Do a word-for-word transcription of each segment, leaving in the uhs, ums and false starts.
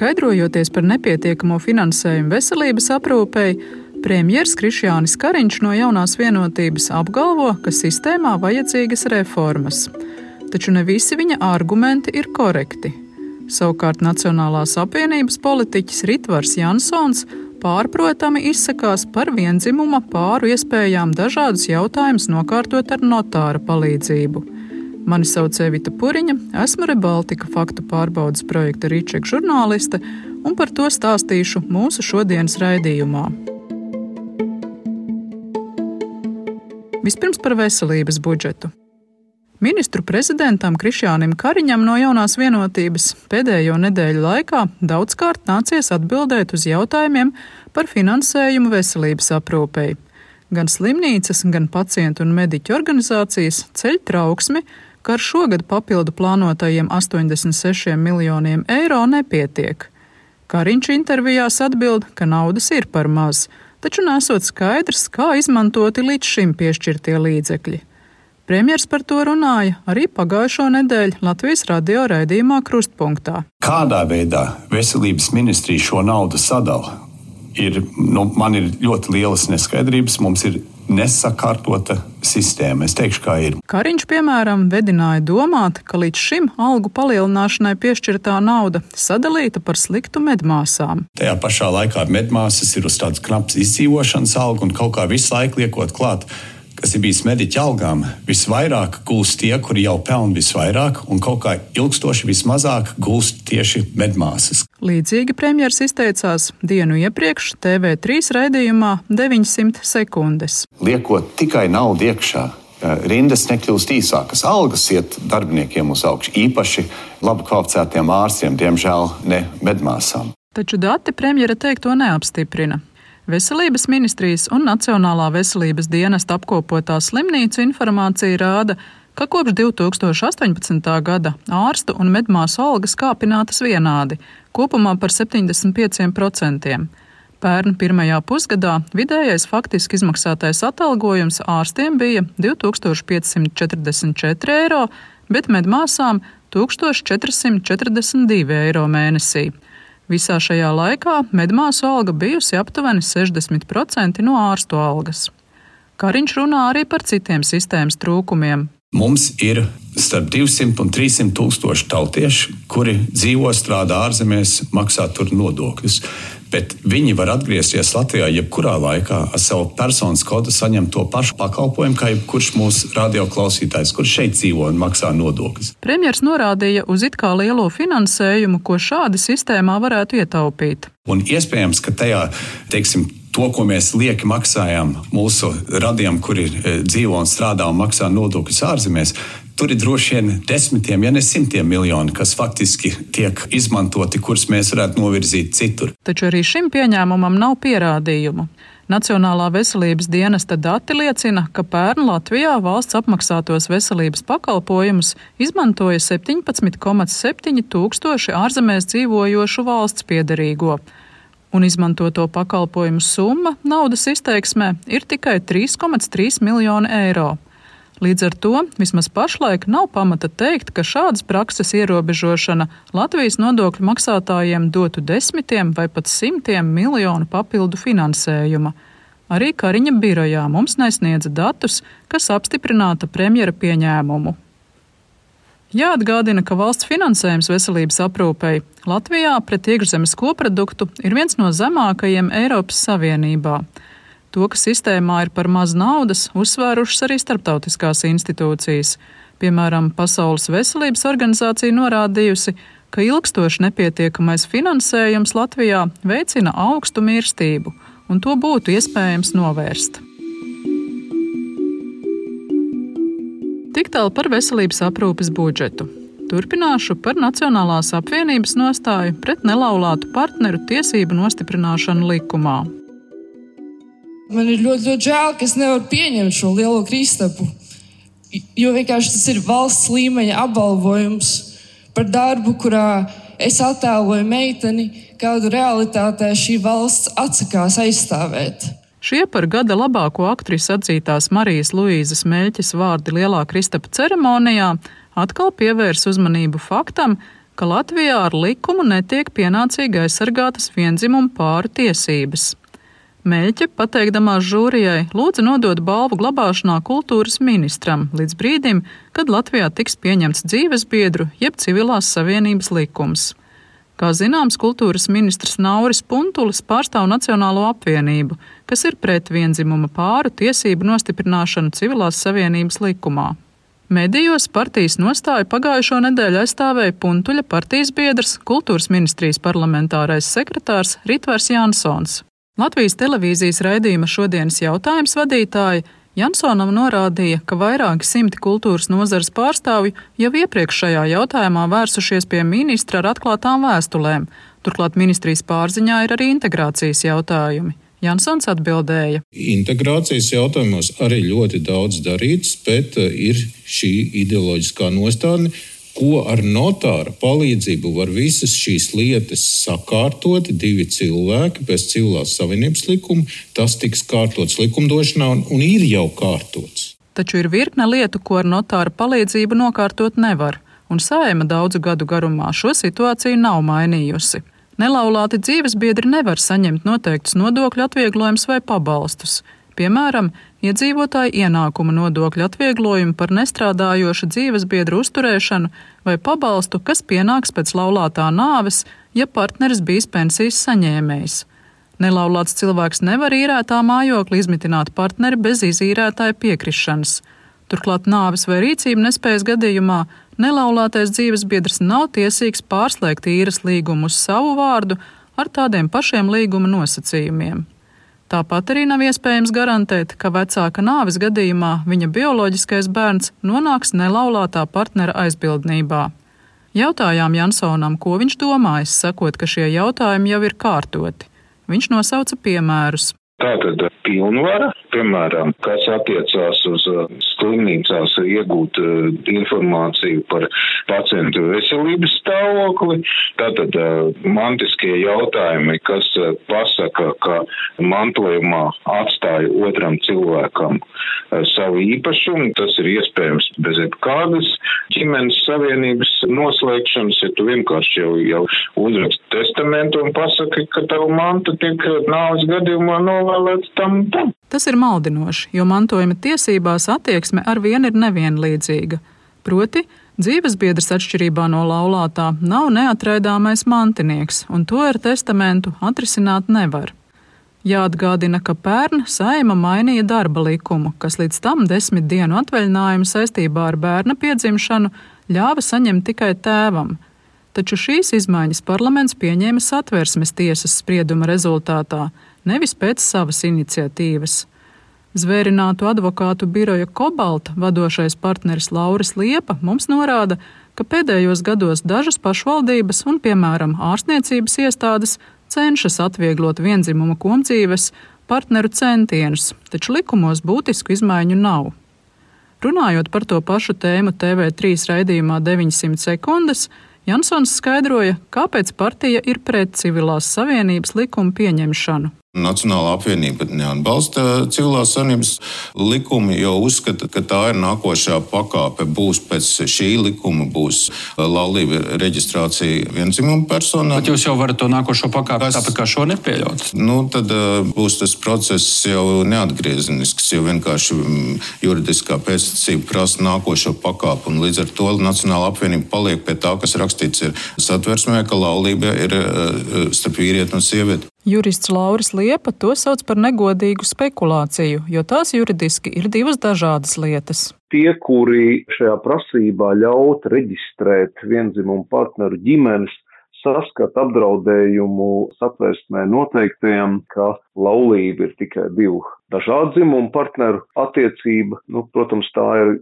Skaidrojoties par nepietiekamo finansējumu veselības aprūpei, premjers Krišjānis Kariņš no Jaunās Vienotības apgalvo, ka sistēmā vajadzīgas reformas. Taču ne visi viņa argumenti ir korekti. Savukārt Nacionālās apvienības politiķis Ritvars Jansons pārprotami izsakās par vienzimuma pāru iespējām dažādus jautājumus nokārtot ar notāra palīdzību. Mani sauc Evita Puriņa, esmu Rebaltika faktu pārbaudes projekta Rīček žurnāliste, un par to stāstīšu mūsu šodienas raidījumā. Vispirms par veselības budžetu. Ministru prezidentam Krišjānim Kariņam no Jaunās Vienotības pēdējo nedēļu laikā daudzkārt nācies atbildēt uz jautājumiem par finansējumu veselības aprūpei. Gan slimnīcas, gan pacientu un mediķu organizācijas ceļ trauksmi, ka ar šogad papildu plānotajiem astoņdesmit sešiem miljoniem eiro nepietiek. Kariņš intervijās atbild, ka naudas ir par maz, taču nesot skaidrs, kā izmantoti līdz šim piešķirtie līdzekļi. Premjers par to runāja arī pagājušo nedēļu Latvijas radio raidījumā Krustpunktā. Kādā veidā veselības ministrija šo naudu sadala? Ir, nu, man ir ļoti lielas neskaidrības, mums ir nesakārtota sistēma. Es teikšu, kā ir. Kariņš, piemēram, vedināja domāt, ka līdz šim algu palielināšanai piešķirtā nauda sadalīta par sliktu medmāsām. Tajā pašā laikā medmāsas ir uz tādas knapas izdzīvošanas algu un kaut kā visu laiku liekot klāt, kas ir bijis mediķa algām, visvairāk gulst tie, kuri jau pelna visvairāk, un kaut kā ilgstoši vismazāk gulst tieši medmāsas. Līdzīgi premjers izteicās dienu iepriekš T V trīs raidījumā deviņsimt sekundes. Liekot tikai naudu iekšā, rindas nekļūst īsākas, algas iet darbiniekiem uz augšu, īpaši labi kvalificētiem ārstiem, diemžēl ne medmāsām. Taču dati premjera teikto neapstiprina. Veselības ministrijas un Nacionālā veselības dienesta apkopotā slimnīcu informācija rāda, ka kopš divi tūkstoši astoņpadsmitā gada ārstu un medmāsu algas kāpinātas vienādi, kopumā par septiņdesmit pieciem procentiem. Pērn pirmajā pusgadā vidējais faktiski izmaksātais atalgojums ārstiem bija divi tūkstoši piecsimt četrdesmit četri eiro, bet medmāsām tūkstoš četri simti četrdesmit divi eiro mēnesī. Visā šajā laikā medmāsu alga bijusi aptuveni sešdesmit procenti no ārstu algas. Kariņš runā arī par citiem sistēmas trūkumiem. Mums ir starp divsimt un trīssimt tūkstoši tautieši, kuri dzīvo, strādā ārzemēs, maksā tur nodokļus. Bet viņi var atgriezties Latvijā jebkurā laikā ar savu personas kodu saņemt to pašu pakalpojumu, kā jebkurš mūsu radioklausītājs, kurš šeit dzīvo un maksā nodokļus. Premjers norādīja uz it kā lielo finansējumu, ko šādi sistēmā varētu ietaupīt. Un iespējams, ka tajā, teiksim, to, ko mēs lieki maksājām mūsu radiem, kuri dzīvo un strādā un maksā nodokļus ārzemēs, tur ir droši vien desmitiem, ja ne simtiem miljoni, kas faktiski tiek izmantoti, kurus mēs varētu novirzīt citur. Taču arī šim pieņēmumam nav pierādījumu. Nacionālā veselības dienesta dati liecina, ka pērn Latvijā valsts apmaksātos veselības pakalpojumus izmantoja septiņpadsmit komats septiņi tūkstoši ārzemēs dzīvojošu valsts piederīgo. Un izmantoto pakalpojumu summa naudas izteiksmē ir tikai trīs komats trīs miljoni eiro. Līdz ar to vismaz pašlaik nav pamata teikt, ka šādas prakses ierobežošana Latvijas nodokļu maksātājiem dotu desmitiem vai pat simtiem miljonu papildu finansējuma. Arī Kariņa birojā mums nesniedza datus, kas apstiprināta premjera pieņēmumu. Jāatgādina, ka valsts finansējums veselības aprūpei Latvijā pret iekšzemes koproduktu ir viens no zemākajiem Eiropas Savienībā. To, ka sistēmā ir par maz naudas, uzsvērušas arī starptautiskās institūcijas. Piemēram, Pasaules veselības organizācija norādījusi, ka ilgstoši nepietiekamais finansējums Latvijā veicina augstu mirstību, un to būtu iespējams novērst. Tik tālu par veselības aprūpes budžetu. Turpināšu par Nacionālās apvienības nostāju pret nelaulātu partneru tiesību nostiprināšanu likumā. Man ir ļoti, ļoti žēl, ka es nevaru pieņemt šo lielo kristapu, jo vienkārši tas ir valsts līmeņa apbalvojums par darbu, kurā es attēloju meiteni, kādu realitātē šī valsts atsakās aizstāvēt. Šie par gada labāko aktrisi atzītās Marijas Luīzes Meļķes vārdi lielā kristapa ceremonijā atkal pievērs uzmanību faktam, ka Latvijā ar likumu netiek pienācīgi aizsargātas viendzimumu pāru tiesības. Meļķe, pateikdamās žūrijai, lūdza nodot balvu glabāšanā kultūras ministram līdz brīdim, kad Latvijā tiks pieņemts dzīvesbiedru jeb civilās savienības likums. Kā zināms, kultūras ministrs Nauris Puntulis pārstāv Nacionālo apvienību, kas ir pret vienzimuma pāru tiesību nostiprināšanu civilās savienības likumā. Medijos partijas nostāju pagājušo nedēļu aizstāvēja Puntuļa partijas biedrs, kultūras ministrijas parlamentārais sekretārs Ritvars Jansons. Latvijas televīzijas raidījuma Šodienas jautājums vadītāja Jansonam norādīja, ka vairāki simti kultūras nozares pārstāvju jau iepriekš šajā jautājumā vērsušies pie ministra ar atklātām vēstulēm. Turklāt ministrijas pārziņā ir arī integrācijas jautājumi. Jansons atbildēja. Integrācijas jautājumos arī ļoti daudz darīts, bet ir šī ideoloģiskā nostādne, ko ar notāra palīdzību var visas šīs lietas sakārtot divi cilvēki pēc civilās savienības likuma. Tas tiks kārtots likumdošanā un, un ir jau kārtots. Taču ir virkne lietu, ko ar notāra palīdzību nokārtot nevar, un Saeima daudzu gadu garumā šo situāciju nav mainījusi. Nelaulāti dzīvesbiedri nevar saņemt noteiktus nodokļu atvieglojumus vai pabalstus. Piemēram, iedzīvotāju ienākuma nodokļu atvieglojumu par nestrādājošu dzīvesbiedru uzturēšanu vai pabalstu, kas pienāks pēc laulātā nāves, ja partneris bijis pensijas saņēmējs. Nelaulāts cilvēks nevar īrētā mājokli izmitināt partneri bez izīrētāja piekrišanas. Turklāt nāves vai rīcību nespējas gadījumā nelaulātais dzīvesbiedrs nav tiesīgs pārslēgt īres līgumu uz savu vārdu ar tādiem pašiem līguma nosacījumiem. Tāpat arī nav iespējams garantēt, ka vecāka nāves gadījumā viņa bioloģiskais bērns nonāks nelaulātā partnera aizbildnībā. Jautājām Jansonam, ko viņš domājas, sakot, ka šie jautājumi jau ir kārtoti. Viņš nosauca piemērus. Tātad pilnvara, piemēram, kas attiecās uz slimnīcās iegūt informāciju par pacientu veselības stāvokli. Tātad mantiskie jautājumi, kas pasaka, ka mantojumā atstāja otram cilvēkam savu īpašumu. Tas ir iespējams bez jebkādas ģimenes savienības noslēgšanas, ja tu vienkārši jau, jau uzraksti testamentu un pasaki, ka tavu manta tiek nāves gadījumā novēlēts tam tam. Tas ir maldinoši, jo mantojuma tiesībās attieksme ar vienu ir nevienlīdzīga. Proti, dzīvesbiedrs atšķirībā no laulātā nav neatraidāmais mantinieks, un to ar testamentu atrisināt nevar. Jāatgādina, ka pērn Saeima mainīja darba likumu, kas līdz tam desmit dienu atvaļinājumu saistībā ar bērna piedzimšanu ļāva saņemt tikai tēvam. Taču šīs izmaiņas parlaments pieņēma Satversmes tiesas sprieduma rezultātā, nevis pēc savas iniciatīvas. Zvērinātu advokātu biroja Kobalta vadošais partneris Lauris Liepa mums norāda, ka pēdējos gados dažas pašvaldības un, piemēram, ārstniecības iestādes cenšas atvieglot vienzimuma komdzīves partneru centienus, taču likumos būtisku izmaiņu nav. Runājot par to pašu tēmu T V trīs raidījumā deviņsimt sekundes, Jansons skaidroja, kāpēc partija ir pret civilās savienības likumu pieņemšanu. Nacionālā apvienība neatbalsta civilās savienības likumu, jo uzskata, ka tā ir nākošā pakāpe. Būs pēc šī likuma būs laulība reģistrācija viendzimumu personām. Bet jūs jau varat to nākošo pakāpi Kas, tāpat kā šo nepieļaut? Nu, tad uh, būs tas process jau neatgriezenisks, jo vienkārši juridiskā pēctecība prasa nākošo pakāpi. Un līdz ar to Nacionālā apvienība paliek pie tā, kas rakstīts ir Satversmē, ka laulība ir uh, starp vīrieti un sievieti. Jurists Lauris Liepa to sauc par negodīgu spekulāciju, jo tās juridiski ir divas dažādas lietas. Tie, kuri šajā prasībā ļaut reģistrēt viendzimumu partneru ģimenes, saskata apdraudējumu Satversmē noteiktajam, ka laulība ir tikai divu dažādu dzimumu partneru attiecība. Nu, protams, tā ir,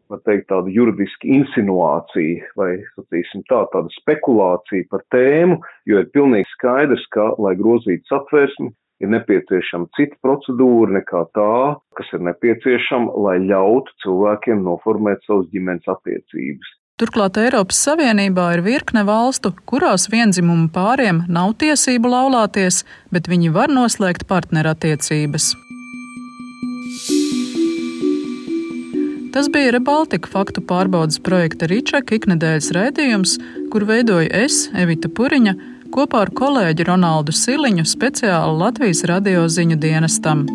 var teikt, tāda juridiska insinuācija vai, sacīsim tā, tāda spekulācija par tēmu, jo ir pilnīgi skaidrs, ka, lai grozītu Satversmi, ir nepieciešama cita procedūra nekā tā, kas ir nepieciešama, lai ļautu cilvēkiem noformēt savas ģimenes attiecības. Turklāt Eiropas Savienībā ir virkne valstu, kurās viendzimumu pāriem nav tiesību laulāties, bet viņi var noslēgt partnerattiecības. Tas bija Rebaltika faktu pārbaudas projekta Ričeka iknedēļas raidījums, kur veidoju es, Evita Puriņa, kopā ar kolēģi Ronaldu Siliņu speciāli Latvijas radio ziņu dienestam.